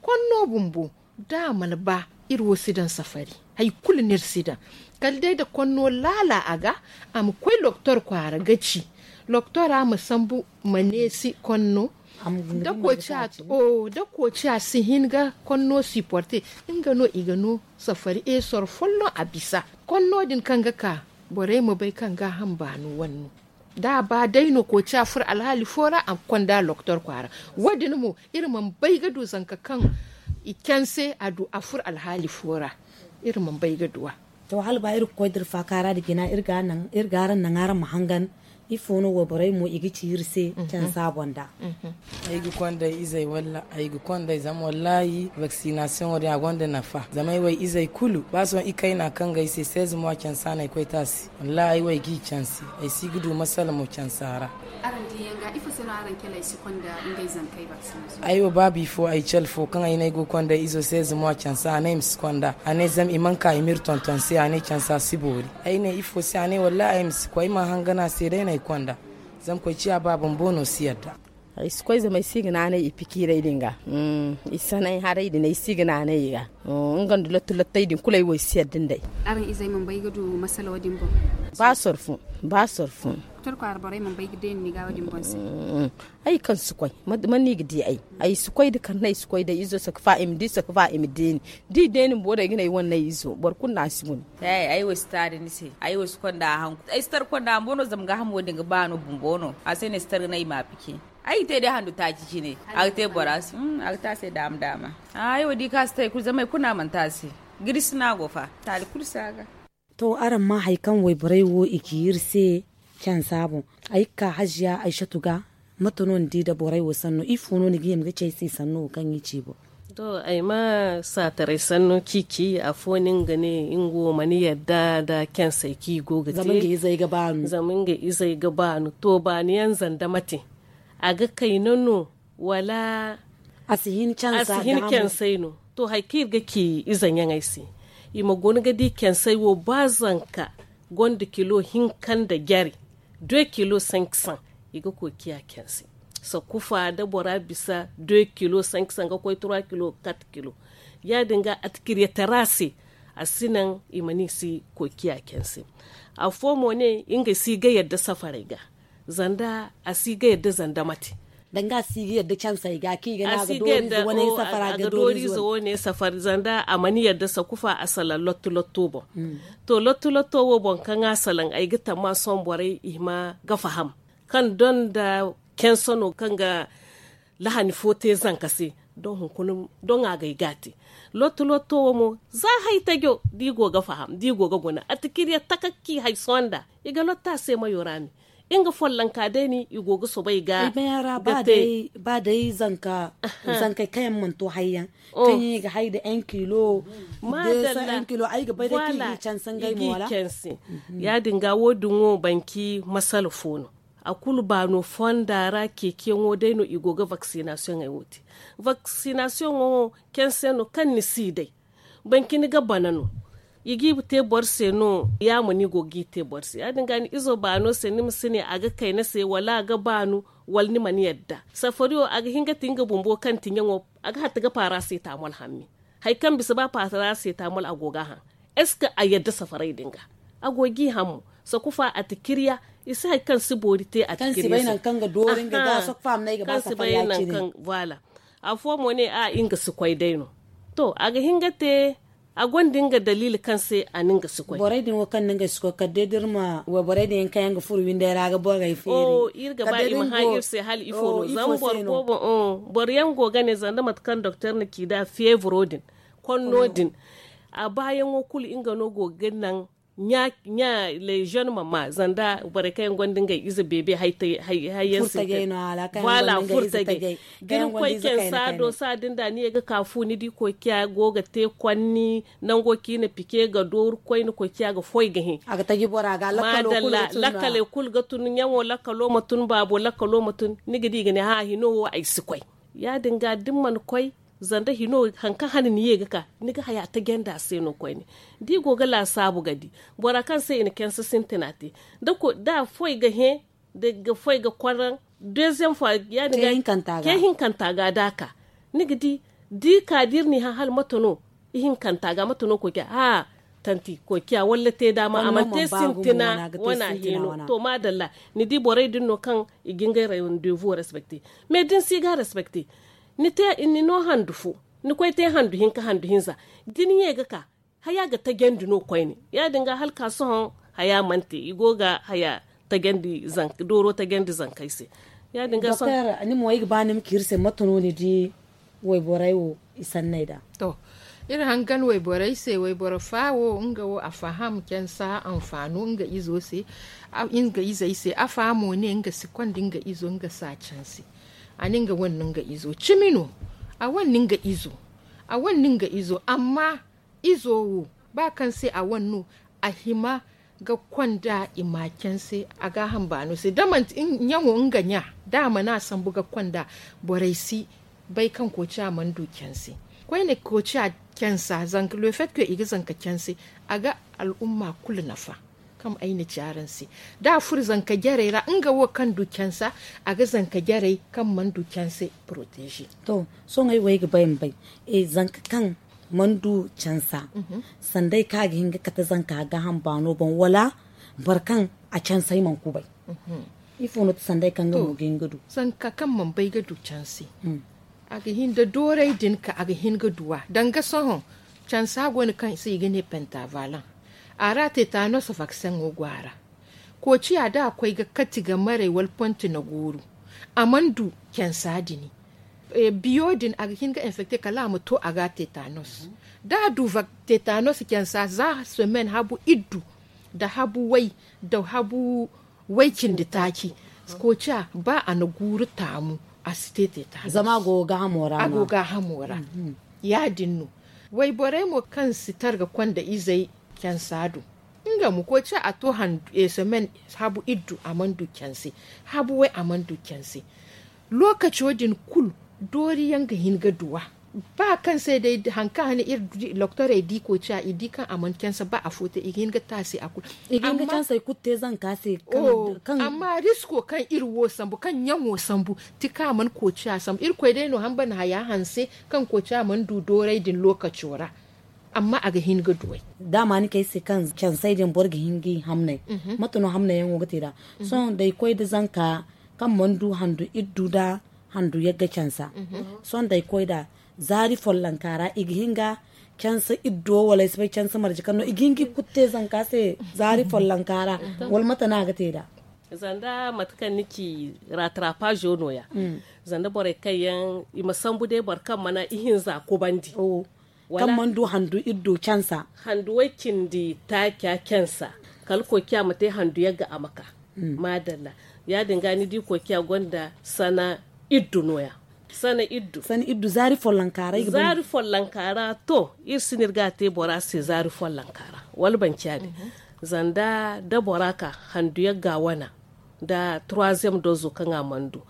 konno bumbo da a mana ba iri wo si daŋ safari. Hari kulu no iri si daŋ kala day nda konno laala a ga a ma koy loktor kwaara ga ci loktora ma sambu ma neesi konno. Da koociya si hin ga konno siporte nga no i ga no safari esor folloŋ a bisa konno din kaŋ ga ka borey ma bay kaŋ gaaham baano wane no. Da a ba day no koociya furo alhaali fo ra a ga konda loktor kwaara. Wo- din mo iri mana bay ga du zanka kaŋ i canse a du a furo alhaali fo ra. Iri mana bay ga du a. To hala ba iri ga koy da iri faakaara nda jina iri ga araŋ naŋ araŋ ma hangan. Ifo no wayborey mo i ga ci iri se cansa boŋ da? Ay ga konday izey walla ay ga konday zama wallaahi vaksinasiyoŋo din a gonda nafa zama ay way izey kulu ba sohõ i kayna kaŋ ga ay se seize mois cansa no ay koy taasi. Wallaahi ay wo ay g'i canse. Ay si ga du masala mo cansa ra. Ay wo ba bifo ay cale fo kaŋ ay ne ay go ga konda ay izo seize mois cansa a ne ay ma si konda a ne zama i mana ka i m'iri tonton se a ne cansa si boori. Ay ne ifo se a ne wallaahi ay ma si koy ay mana hangan a se day no ay konda. Zama koy ciya ba bumbo no si yadda. Ay si koy zama ay si ga naanay i pikiiray din ga. I sanay haray din ay si ga naanay i ga. Nga nda lotto lottay din kulu ay wo ay si yadda nd'ey. Araŋ izey mana bay ga du masala wo- din boŋ? Ba sorfu. Ba sorfu. Torkwaara borey mana bay ga deeni ni ga wo- din boŋ se? Ay kaŋ si koy man no i ga di ay? Ay si koy da karne ay si koy day izo saka fa i ma di saka fa i ma deeni. Da i deeni bumbo day ga ne ay wane no ay izo boro kulu no a si guna. Ay wo si taari ni se. Ay wo si konda a hanku ay si tar konda a bumbo no zama gaahamo din ga ba no bumbo no a se no ay si tar ga ne ay ma a pike. Ay ga te day handu taaci cine. A ga te bora se a ga te a se daama daama. Ay wo di kaŋ a si te hari kulu zama hari kulu no a mana te a se. Girisi no a go fa taali kulu si a ga. To araŋ ma hari kaŋ wayborey wo i ci iri se cansa boŋ. Ay ga ka haziya ay satu ga. Mate no ni di nda borey wo sanno ifo no ni ga hima ga ci ay se sanno wo kaŋ i ci boŋ? To ay ma saataray sanno ciici afo no nga ne nga wo mana yadda nda cansey kaŋ i go ga te. Zama nga izey ga baanu to baanu yaŋ zanda mate a ga kayna no wala a si hin cansey no? To hari kaŋ iri ga ci ize ɲaŋey se i ma guna ga di cansey wo ba zanka gonda kilo hinka nda jare deux kilo cinq cents. I ga koy ciya canse sakufa da bora bisa deux kilo cinq cents ga koy trois kilo quatre kilo. Ya- din ga atikiriyatara se a si naŋ i ma ni si koy ciya canse. Afo mo ne nga si ga yadda safaray ga zanda a si ga yadda zanda mate. Danga a si ga yadda cansey ga kaŋ i ga ne a ga doori ize wane safara ga doori ize wane safari zanda a mana yadda sakufa a salaŋ lotto lotto boŋ. To lotto lotto wo boŋ kaŋ a salaŋ ay ga tamma sohõ borey i hima ga faham kaŋ doŋ nda canse no kaŋ ga lahani fo te zanka se. Doŋ hunkuna doŋ a ga ay ga a te lotto lotto wo mo za hari tajo da i go ga faham da i go ga guna atikirya taka kaŋ i hari sohõ nda i ga lotto a se mayo ra me. Nga follonka day no i go ga soobay ga te. Ba day zanka zankey kaŋ yaŋ mana to hari yaŋ kaŋ yaŋ i ga hari nda un kilo. Madalla un kilo ay ga bay day kaŋ i g'i canse ngey mo wala? Ya- din ga wo- din wo banki masala fo no. A kulu baano fonda ra ceeciyaŋo day no i go ga vaksinasiyoŋey wo te. Vaksinasiyoŋo canse no kaŋ ni si day banki ni ga bana no. I g'i te boro se no. Ya ma ni go g'i te boro se ya- din ga ni izo baano se ni ma si ne a ga kay ni se wala a ga baanu, wala ni mana yadda safari wo a ga hin ga ti nga bumbo kaŋ ti ɲaŋo. A ga hatta ga paara se taamol hammi. Hari kaŋ bisa ba paara se taamol a go ga a haŋ. Est ce que a yadda safaray din ga? A go g'i haŋ mo. Sakufa a ti kirya. I si hari kaŋ si boori te a ti kirya se. Kaŋ si bay nankaŋ ga doori nga ga sakufa a ma ne ay ga ba safari ya- cine. Voilà. Afo mo ne a nga si koy day no. To a ga hin ga te. A gonda nga daliili kaŋ se a na nga si koy. Borey din wo kaŋ na nga si koy kala day da iri ma wayborey din yaŋ kaŋ yaŋ ga furo winday ra ga borey feeri. Iri ga ba i ma hã iri se hala ifo no zama boro boobo. Boro yaŋ go ga ne zanda mate kaŋ doktor na ci nd'a feevro din konno din. A baayaŋo kulu nga no go ga naŋ ɲa ɲa leziyon ma ma zanda borey kaŋ yaŋ gonda ngey ize beebe hayyaŋ se. Te waala furtagay da ni koy caŋ saado saadin da ni ye ga ka fu ni di koy ciya go ga te kwanni nango kaŋ i na pike ga dooru koyne koy ciya ga foy ga hẽ. Madalla. Lakkaley kulu ga tun ɲaŋo lakkalo ma tun baabo lakkalo ma tun ni ga di i ga ne hã hino wo ay si koy. Ya- din ga da ni mana koy zanda hino hari kaŋ hane ni ye ga ka ni ga haya tajandi a se no koyne. Da i go ga laasaabu ga di bora kaŋ se i na canse sintina te da a foy ga hẽ da ga foy ga kwarraŋ. Deuxième fois ya- din ga ce hinkanta ga da a ka ni ga di da i ka da iri n'i hã hala mate no. Ihinkanta ga mate no koy ciya hã tanti koy ciya walla te daama a mana te sintina wana hino to maadalla. Ni di borey din no kaŋ i ga ngey rendez-vous respecte. Mais da ni si ga respecte ni no handu fo ni koy te handu hinka handu hinza da ni ye ga ka haya ga tajandi no koyne. Ya- din ga hala ka sohõ haya mana te i go ga haya tajandi zanka dooro tajandi zankey se. Ya- din ga sohõ ni mo ay ga ba ni ma ci iri se mate no ni di wayborey wo i sanney da? To iri hangan wayborey se wayboro fa wo nga wo a faham cansa anfaano nga izo se. Nga izey se a fahamo ne nga si konda nga izo nga si a canse. A ne nga wane no nga izo cimi no. A wane no nga izo a wane no nga izo amma izo wo ba kaŋ se a wane no a hima ga konda i ma canse a gaaham baano se da manti ɲaŋo nga ɲa da a mana sambu ga konda borey si bay kaŋ koociya mana du canse. Koyne koociya cansa zanka le fait que i ga zanka canse a ga al'umma kulu nafa. Kaŋ ay na ci araŋ se da a furo zanka jarey ra nga wo kaŋ du cansa a ga zanka jarey kaŋ mana du canse protégé. To sohõ ay wo ay ga bay ma bay zanka kaŋ mana du cansa sanda ay kaŋ a ga hin ga kate zanka gaaham baano boŋ wala boro kaŋ a canse ay mana kubay? Ifo no ti sanda ay kaŋ ga mo ga hin ga du zanka kaŋ mana bay ga du canse? A ga hin da dooray din ka a ga hin ga du a danga sohõ cansa go no kaŋ se i ga ne pentavalent. A ra tetanos vakseŋo go a ra. Koociya da a koy ga kati ga maray wala ponti na gooru a mana du cansa din. Biyo din a ga hin ga infecte kala a ma to a ga tetanos. Da a du tetanos cansa za semaine habu iddu nda habu way nda habu way cindi taaci. Koociya ba a na guuru taamu a si te tetanos zama a go gaahamo ra. Ya- din no wayborey mo kaŋ si targa konda izey cansa do nga mo koociya a to semaine habu iddu a mana du canse. Habu way a mana du canse. Lookaco din kulu dooriyaŋ ga hin ga duwa. Ba kaŋ se day hari kaŋ hane iri doktorey di koociya i di kaŋ a mana canse ba afo te i ga hin ga te a se a kulu. I ga hin ga canse ay kulu te zanka se. Amma risko kaŋ iri wo sambu kaŋ ɲaŋo sambu ti kaŋ a mana koociya sambu irkoy day no hamba na haya hanse kaŋ koociya mana du dooray din lookaco ra. Amma a ga hin ga duway. Daama ni kay se kaŋ cansey din boro ga hin ga i hamnay. Mate no hamnayyaŋo ga te nd'a? Sohõ da ay koy nda zanka kaŋ mana du handu iddu nda handu yagga cansa. Sohõ da ay koy nd'a zaari follonka ra i ga hin ga cansa iddo wala ay si bay cansa marje kaŋ no i ga hin ga i kulu te zanka se zaari follonka ra? Wala mate no a ga te nd'a? Zanda mate kaŋ ni ci ratrapaazo no- ya zanda borey kaŋ yaŋ i ma sambu day boro kaŋ mana ihinza kubandi kaŋ mana du handu iddo cansa. Handu way cindi taaca cansa kala koociya ma te handu yagga a ma ka. Maadalla. Ya- din ga ni di koociya gonda sana iddu no- ya. Sana iddu sana iddu zaari follonka ra zaari follonka ra to iri si no iri ga a te bora se zaari follonka ra wala banci ya- din. Zanda da bora ka handu yagga wana nda troisième dozo kaŋ a mana du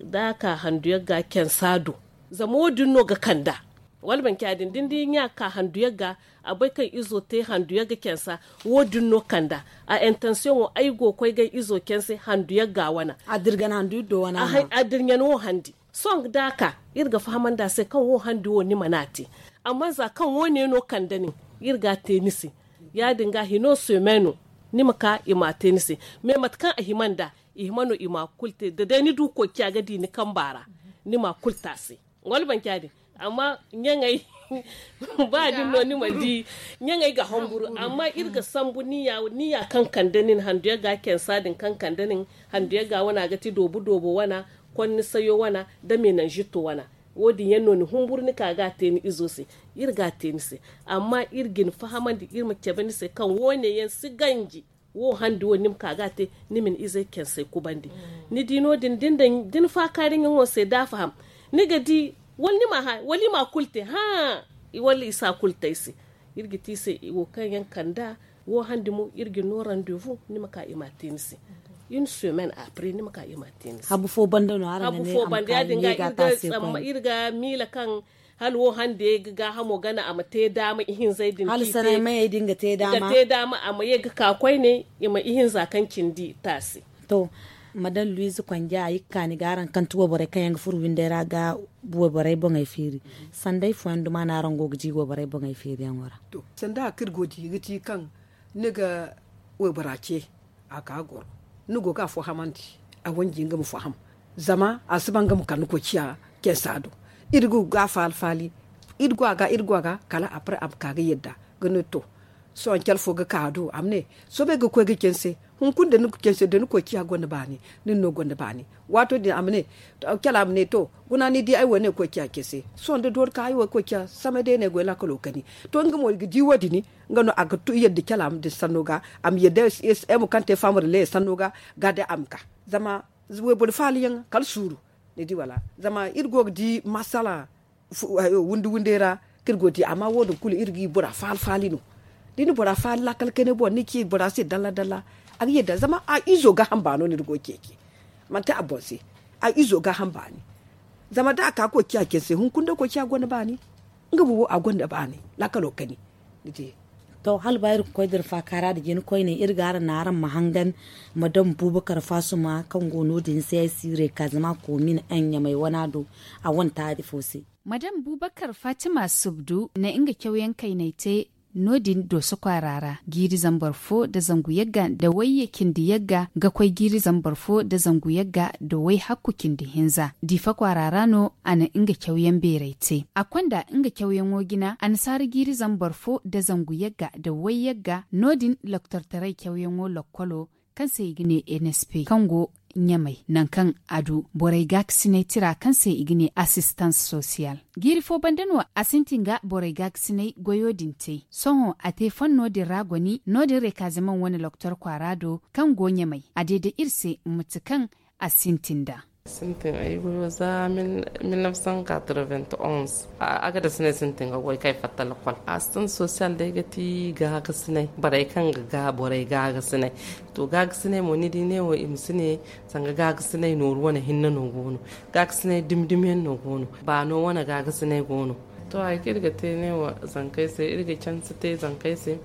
da a ka handu yagga cansa do. Zama wo- din no ga kand'a. Wala manci ya- din da ni di ɲa ka handu yagga, a bay kaŋ izo te handu yagga kensa. Wo- din no kanda a intensiyoŋo ay go ga koy ga ay izo kense handu yagga wana. A dirgan handu iddo wana a hay a dirɲan wo handi. Sohõ da a ka iri ga fahamandi a se kaŋ wo handi wo ni mana a te. Amma za kaŋ wo- ne no kanda nin, iri ga a te ni se. Ya- din ga hino semaino ni ma ka i ma a te ni se. Mais mate kaŋ a hima nd'a, i hima no i ma a kulu te da day ni du koy ciya ga di ni kamba ra, ni ma a kulu te a se. Wala manci ya- din. Amma ɲaŋey ba din no ni ma di. Ɲaŋey ga hamburu amma iri ga sambu niya kaŋ kande nin handu yagga kensa din kaŋ kande nin handu yagga wana ga ti doobu doobo wana, konni sayo wana, da menanzito wana. Wo- din yaŋ no ni humburu ni ka ga a te ni izo se. Iri ga a te ni se. Amma iri ga ni fahamandi iri ma cabe ni se kaŋ wo- ne yaŋ si ganji. Wo handi wo ni ma ka ga a te, ni ma ni izey kensey kubandi. Ni di no- din da ni faakaari ɲaŋo se da a faham, ni ga di wala ni ma a hã wala i ma a kulu te hã. Wala i si a kulu te ay se. Iri ga te i se wo kaŋ yaŋ kand'a. Wo handi mo iri ga ni no randevu ni ma ka i ma a te ni se. Une semaine après ni ma ka i ma a te ni se. Habu fo banda no araŋ ga ne a ma ka ni ga a te a se. Iri ga miila kaŋ hala wo hande ga gaahamo gana a ma te daama ihinzey din hala sanay mayey din ga te daama a ma ye ga ka koyne. I ma ihinza kaŋ cindi te a se. To, madame luwize konja a ye ga kaani ga araŋ kaŋ ti wayborey kaŋ yaŋ ga furo windey ra ga wayborey boŋey feeri. Sanday fooyaŋ duma no araŋ go ga di wayborey boŋey feeriyaŋo ra? To, sanda hari kaŋ iri go ga di ga ti kaŋ ni ga waybora ce a ka goro, ni go ga afo hamandi a wanji nga ma faham. Zama a si ba nga ma kande koy ciya kensa do. Iri go ga faali faali. Iri go a ga iri go a ga kala après a ma ka ga yadda ga ne to, sohõ care fo ga ka a do a ma ne, soobay ga koy ga kense. Hunkuna da ni koy ciya gonda baani, nin no gonda baani. Waato din a ma ne, care a ma ne to, guna ni di ay wo ne koy ciya kense. Sohõ da doori ka ay wo koy ciya samay day no ay goy laakalo kani. To nga mo i ga di wo- din. Nga no a ga yadda care a ma din sanno ga a ma yadda ay mo kaŋ te faama da laya sanno ga ga day a ma ka. Zama wayboro faaliyaŋ kala suuru. Ni di wala? Zama iri go ga di masala windi windey ra kaŋ iri go ga di amma wo- din kulu iri ga i bora faali faali no. Da ni bora faali laakal kayne boŋ ni ci bora se dalla dalla. A ga yadda zama a izo gaaham baano no iri go ga ceeci. Manti a boŋ se a izo gaaham baani. Zama da a ka koy ciya care se hunkuna day koy ciya gonda baani. Nga bumbo a gonda baani laakalo kani. To hala ba iri ga koy da iri faakaara nda jina koyne iri ga araŋ naŋ araŋ ma hangan madam bubakar faasuma kaŋ go no- din se ay siirey ka zama koomin ɲamay wana do. A wane taari fo se madam bubakar faatima subdu na nga cawyaŋ kayney te. No- din dooso kwaara ra jiiri zambar fo nda zangu yagga nda wayye cindi yagga ga koy jiiri zambar fo nda zangu yagga nda wayhakku cindi hinza diifa kwaara ra no a na nga cawyaŋ beeray te a konda nga cawyaŋo jina annasaara jiiri zambar fo nda zangu yagga nda wayyagga no- din loktortaray cawyaŋo lokkolo kaŋ se i ga ne nsp kaŋ go ɲamay nangu kaŋ a du borey gaakasinay tira kaŋ se i ga ne assistance sociale. Jiiri fo banda no a sintin ga borey gaakasinay goyo din te sohõ a te fanno din ra goni no- din rekazimaŋ wane loktor kwaara do kaŋ go ɲamay a deede iri se mate kaŋ a sintin nd'a. Sintin ay goyo za mil nefsan katroven onze. Agadasinay sintin ga goy kaŋ ay fatta lakkol assistance sociale day ga ti gaagasinay borey kaŋ ga borey gaagasinay. To gaagasinay mo ni di neewo i ma si ne sanga gaagasinay nooru wane hinne no go no. Gaagasinay dumi dumi yaŋ no go no baano wane gaagasinay go no. To hari kaŋ iri ga te neewo zankey se iri ga canse te zankey se.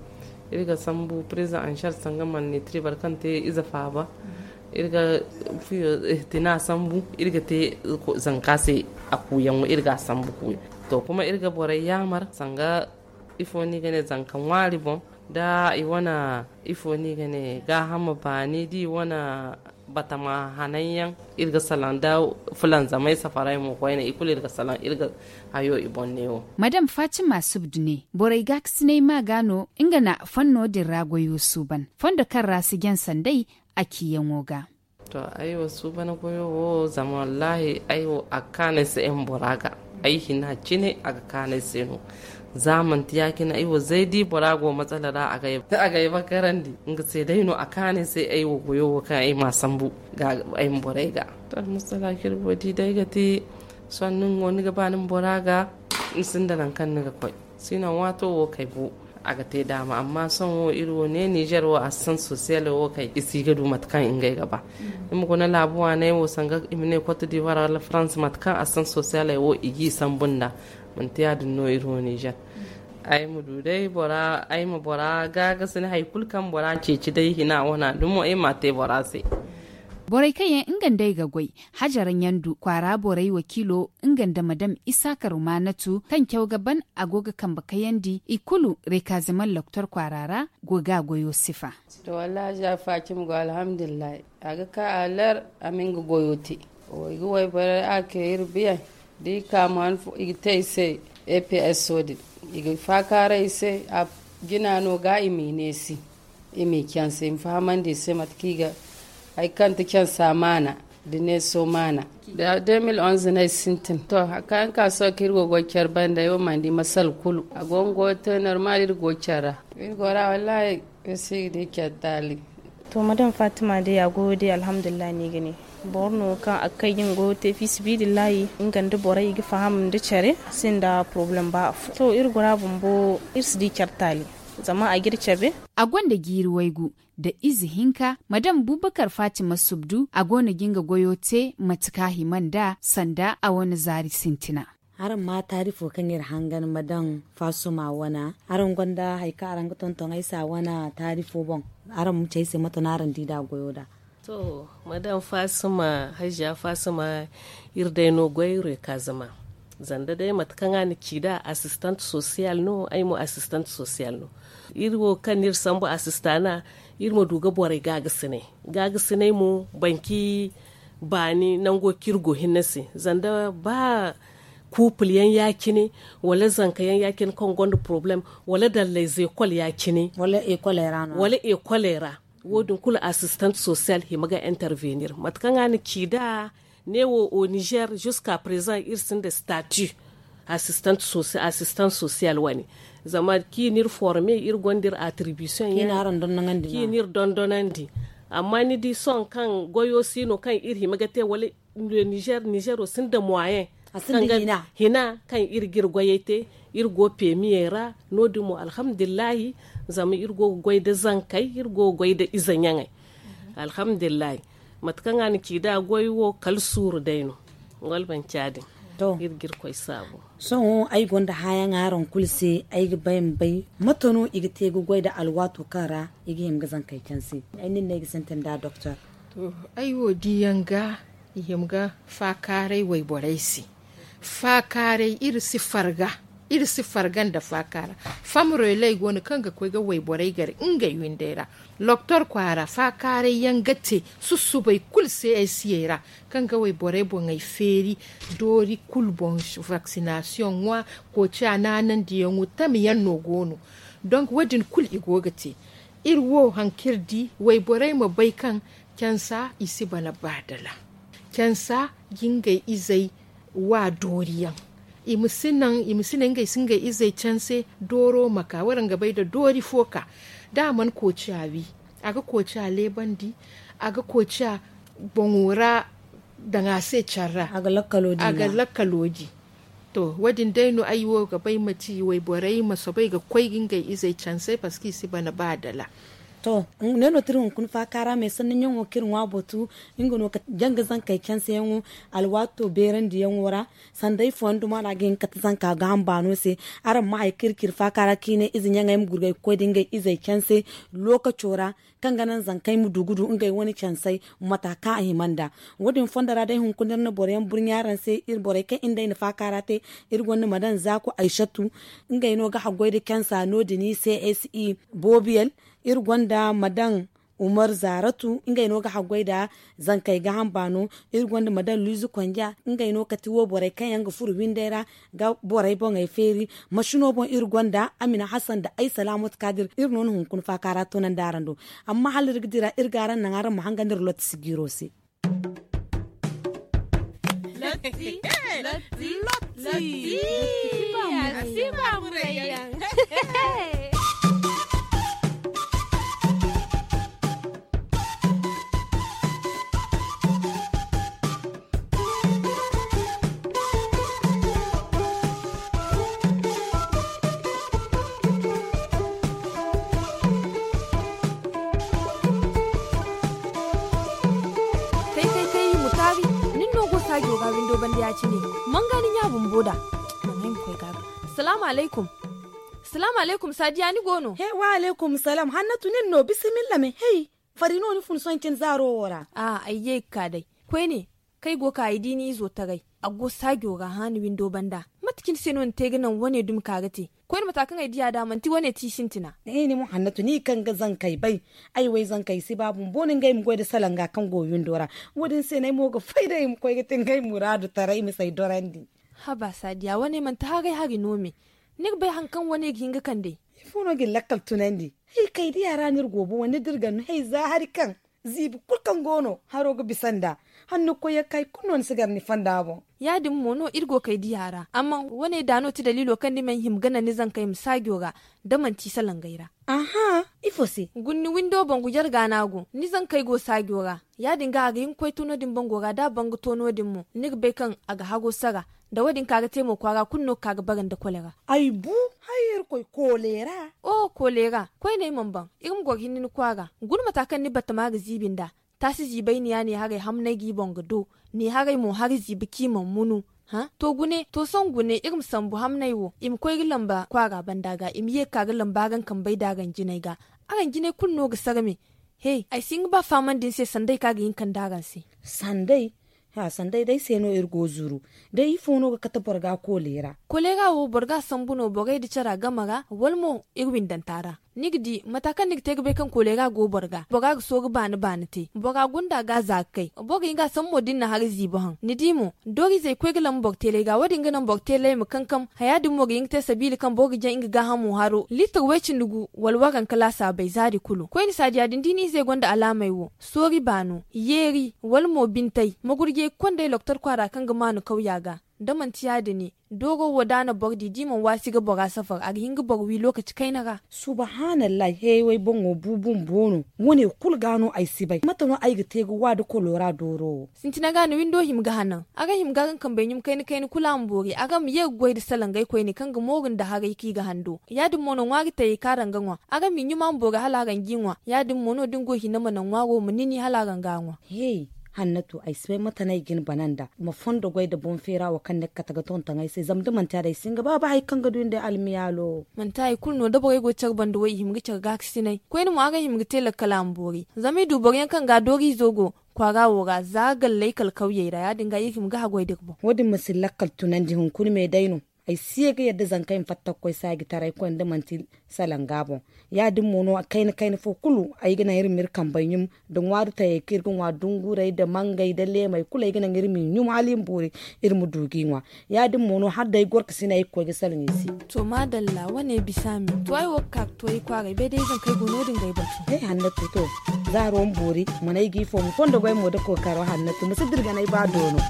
Iri ga sambu président anchar sanga malnitri boro kaŋ te ize faaba. Iri ga fuyo tina sambu iri ga te zanka se a kuuyaŋo iri ga a sambu kuuya. To kuma iri ga borey yaamar sanga ifo no i ga ne zanka ŋwaari boŋ da i wane ifo no i ga ne gaahama baani da i wane batama hananyaŋ. Iri ga salaŋ da fulanzamay safaray mo koyne i kulu iri ga salaŋ iri ga hayo i boŋ neewo. Madam fatima subdu ne borey gaakasinay ma ga no nga na fanno din ra goyo suuban fondo kaŋ ra si jaŋ sanday a ciyaŋo ga. To ay wo suubana goyo wo zama wallaahi ay wo a ga kaanu ay se ay ma bora ga. Ay hina cine a ga kaanu ay se no. Za manti ya- cine ay wo zay da i bora go matsala ra a ga ay bakarandi nga se day no a kaanu ay se ay wo goyo wo kaŋ ay ma a sambu ay ma borey ga. To almusala kirbo di day ga te sohõ nin wo ni ga ba ni ma bora ga. Ni sinda nangu kaŋ ni ga koy sinon waato wo kay bo a ga te daama amma sohõ wo iri wo ne nizer wo assistance sociale wo kay i si ga du mate kaŋ ngey ga ba. Ni ma guna laabu waaney wo sanga i ma ne cote d'ivoire wala france mate kaŋ assistance sociale wo i g'i sambu nd'a. Manti ya- din no iri wo nizer. Ay ma du day bora ay ma bora gaagasin hari kulu kaŋ bora ceeci day hina wana dumo ay ma a te bora se. Borey kaŋ yaŋ nga nda ay ga goy, hajara ɲandu kwaara borey wakiilo nga nda madam isaaka rumaanatu kaŋ caw ga ban a go ga kambe kayandi i kulu rekaziman loktor kwaara ra go ga a goyo sifa. To wallaahi za fatima go alhamdulillahi. A ga ka a lar a ma nga goyo te. Wo i ga wayborey a ke iri biyaŋ da i ka ma han fo i ga te i se. Eps wo- din i ga faakaaray i se. Jina no ga i m'i neesi i m'i canse i ma fahamandi i se mate kaŋ i ga hari kaŋ ti cansa maana da neeso maana. Da deux mille onze no ay sintin to hari kaŋ yaŋ ka sohõ kaŋ iri go ga goy care banda ay wo mana di masala kulu a go nga goyo te normal iri go care ra. Iri go ra wallaahi. Iri si ga di care taali. To madam fatima day a goyo day alhamdulillahi no i ga ne. Boro no kaŋ a ga kay ga nga goyo te fiisibidillahi nga nda borey i ga faham nda care sinda porobalem ba affo to iri gora bumbo iri si di care taali. Zama a ga iri cabe. A gonda jiiri waygu nda ize hinka madam bubakar fatima subdu a go no ga nga goyo te mate kaŋ a hima nd'a sanda a wane zaari sintina. Araŋ ma taarifo kaŋ iri hangan ma daŋ faasuma wana araŋ gonda hari kaŋ araŋ ga tonton ay se a wana taarifo boŋ? Araŋ ma ci ay se mate no araŋ di nd'a goyo nd'a. To, madam faasuma, haziya faasuma, iri day no goy rekazama. Zanda day mate kaŋ a na ci nd'a asistant sosiyal no ay mo asistant sosiyal no. Iri wo kaŋ no iri sambu asistana iri ma du ga borey gaagasinay. Gaagasinay mo banki baani nango kaŋ iri go hinne se. Zanda ba kuupul yaŋ ya- cine wala zanka yaŋ ya- cine kaŋ gonda porobalem wala dallay zeekol ya- cine wala ekoley ra wo- din kulu asistant sosiyal hima ga intervenir mate kaŋ a na ci nd'a. Ne wo o nizer ziska prezan iri sinda stati asistant sosiyal wane. Zama kaŋ i n'iri forme iri gonda iri atribisiyoŋ yaŋ kaŋ i n'iri dondonandi. Amma ni di sohõ kaŋ goyo si no kaŋ iri hima ga te wala nizero sinda moyen hina kaŋ iri ga iri goyey te. Iri go pemiyey ra no- din mo alhamdulillahi. Zama iri go ga goy nda zankey iri go ga goy nda ize ɲaŋey. Alhamdulillahi. Mate kaŋ a na ci nd'a goy wo kala suuru day no. Wala manci ya- din iri ga iri koy saabu. Sohõ ay gonda hãyaŋ araŋ kulu se ay ga bay ma bay mate no i ga te ga goy nda alwaato kaŋ ra i ga hima ga zankey canse? Ay nin no ay ga sintin nd'a doktor. To, ay wo diyaŋ ga i hima ga faakaaray wayborey se. Faakaaray iri si farga. Iri si farga nda faakaara. Famreley go no kaŋ ga koy ga wayborey gar ngey windey ra. Loktor kwaara faakaaray yaŋ ga te sussubay kulu se ay siyey ra kaŋ ga wayborey boŋey feeri doori kulu boŋ. Vaksinasiyoŋ ŋwa kooca naanandiyaŋo tame yaŋ no go no. Donk wo- din kulu i go ga te. Iri wo hari kaŋ iri di wayborey ma bay kaŋ cansa i si bana baadala. Cansa ga ngey izey wa dooriyaŋ. I ma si naŋ i ma si ne ngey si ngey izey canse dooro ma ka wala nga bay nda doori fo ka da a mana kooca wi. A ga kooca leebandi. A ga kooca boŋo ra daŋ a se care ra. A ga lakkalo di. To wo- din day no ay wo ga bay ma ci wayborey ma soobay ga koy ga ngey izey canse parceque i si bana ba dala. To, ne no tira hunkuna faaka ra me sanni ɲaŋo kaŋ iri ŋwa batu. Nga no ka janga zankey canseyaŋo alwaato beerandiyaŋo ra. Sanda ifooyaŋ duma no a ga hin ga kate zanka gaaham baano se. Araŋ ma hay kaŋ iri ci iri faaka ra kaŋ i ne ize ɲaŋey ma gurgay ga koy da ngey izey canse lookaco ra, kaŋ ga naŋ zankey ma du ga du ngey wane cansey mata kaŋ a hima nd'a. Wo- din fondo ra day hunkuna iri na boro yaŋ burɲa araŋ se. Iri borey kaŋ iri nd'ey na faaka ra te, iri gonda madam zaaku aysatu. Ngey no ga haggoy nda cansa no- din i se s i boobiyel. Iri gonda madam umar zaaratu ngey no ga haggoy nda zankey gaaham baano. Iri gonda madam luuzu konja ngey no kati wo borey kaŋ yaŋ ga furo windey ra ga borey boŋey feeri. Masino boŋ iri gonda amina hasan nda ay salaamatu kaadir iri no na hunkuna faaka ra toonandi araŋ do. Amma hala iri ga dira iri ga araŋ naŋ araŋ ma hanga nda iri lotti sijiiro se. Lotti. Lotti. Lotti. Lotti. Tay tay tay mutaari. Nin no go saajo ga windo banda ya- cine. Manga ni ɲa bumbo da. Manga ay ma koy ga. Salaamu alaykum. Salaamu alaykum, saadiya ni go no? He, wa alaykum salaam, hannatu nin no? Bisimilla me. Hey, fari no ni fun sohõ cine zaaro wo ra? A ay ye ga ka day. Koyne, kaŋ ay go ga ka ay di ni izo taray, a go saajo ra haani windo banda. Mate cine se no ni te ga naŋ wane dumi ka ga te? Koyne, mata kaŋ ay diya da manti wane ti sintina. Ay ni mo hannatu ni kaŋ ga zankey bay. Ay wo ay zankey si ba bumbo no ngey ma goy nda salanga kaŋ go windo ra. Wo- din se no ay mo ga fay day ay ma koy ga te ngey muraadu taray ma si ay dorandi. Haba saadiya wane manti haray hari no me? Ni ga bay hari kaŋ wane ga hin ga kande? Ifo no ga ni lakkal tunandi? Hay kay diya ra no iri go bo wane da iri ga no hay za hari kaŋ ziibi kulu kaŋ go no haro ga bisa nd'a. Hanno ga koy ya ga ka hari kulu no ni si gar ni fonda boŋ. Ya- din mo no iri go kay diya ra amma wane da no ti daliilo kaŋ ni mana hima ga naŋ ni zankey ma saajo ra, da manti salangey ra. Aha, ifo se? Guna ni windo bangu jarga no a go ni zankey go saajo ra. Ya- din ga a ga hin ga koy to no- din bango ra da a ban ga to no- din mo ni ga bay kaŋ a ga haro sara. Da wo- din ka ga te mo kwaara kulu no ga ka ga bare nda kolera. Ay bu, hay irkoy, koleera. O koleera, koyne ay mana ban. Iri ma goro hinne ni kwaara. Guna mata kaŋ ni batama ga ziibi nd'a. Taasi ziibay ni ya ne haray hamnay g'i boŋ ga do. Ne haray mo hari ziibi kaŋ i mana munu. To gune, to sohõ gune iri ma sambu hamnay wo i ma koy ga lamba kwaara banda ga i ma ye ga ka ga lamba araŋ kambey da araŋ jinay ga. Araŋ jinay kulu no ga sarme. He, ay si hin ga ba fahamandi ni se sanday kaŋ a ga hin ga kande araŋ se. Sanday? Sanday day se no iri go zuru. Day ifo no ga kate boro ga koleera? Koleera wo boro ga a sambu no borey nda cara game ra wala mo iri windanta ra. Ni ga di mata kaŋ ni ga te ga bay kaŋ koleera go boro ga bora ga sooru baani baani te bora gunda ga za ga kay. Boro ga hin ga a sambu mo da ni na hari ziibi haŋ ni di mo. Dooriizey ga koy ga lamba boro teelay ga wo- din ga naŋ boro teelay ma kankam haya din mo ga hin ga te sabiila kaŋ boro ga jaŋ nga gaahamo haro liitir way-cindi gu wala waranka laasaabey zaari kulu koyne saadiya din da i na ize gonda alaamey wo, soori baano, yeeri, wala mo bintay magurjey ga konda ay loktor kwaara kaŋ ga maanu kawya ga. Da manti ya- din dooro wo da a na boro di da i mana waasi ga bora safar a ga hin ga boro wi lookaci kayna ra. Subahanallahi heyey way boŋo bu bumbo no. Wane kulu ga no ay si bay mate no ay ga te ga wa da koloora dooro wo? Sintina ga no windo hima ga hanan. Araŋ hima ga araŋ kambey ɲum kayna kayna kulu a ma boori araŋ ma ye ga goy nda salangey koyne kaŋ ga mooru nda haray kaŋ i ga hando ya- din mo no ŋwaari tayey kaŋ araŋ ga ŋwa. Araŋ m'i ɲum a ma boori hala araŋ g'i ŋwa. Ya- din mo no da ni go hina ma naŋ ŋwaaro ma nini hala araŋ ga a ŋwa. He, hannatu ay si bay mate no ay ga ni bana nd'a ma fondo goy nda boŋ feera wo kaŋ ni ga kate ga tonton ay se zama da manti ya- din ay si hin ga ba ba hari kaŋ ga du ni day almiyaalo. Manti hari kulu no da borey go ga care banda wo i hima ga care gaakasinay koyne mo araŋ hima ga te lakkal a ma boori. Zama i du boro yaŋ kaŋ ga dooriizo go kwaara wo ra za galley kala kawyey ra ya- din ga iri hima ga haggoy da iri boŋ. Wo- din ma si lakkal tunandi hunkuna me day no. Ay si ye ga yadda zanka ay ma fatta ga koy saaji taray koyne da manti salanga boŋ. Ya- din mo no kayna kayna fo kulu ay ga naŋ iri ma iri kambey ɲum nda ŋwaari tayey kaŋ iri ga ŋwa dunguray nda mangey nda leemey kulu ay ga naŋ iri m'i ɲum hala i ma boori. Iri ma du g'i ŋwa. Ya- din mo no hala day gorkasinay ay ga koy ga salaŋ i se. To maadalla wane bisa me to ay wo ga ka ga to ay kwaaray bay day zankey go no- din ga ay batu. Ay hannatu to zaaro ma boori mana ay g'i fo ma fondo goy mo nda kookaro hannatu ma si dirganay ba doono.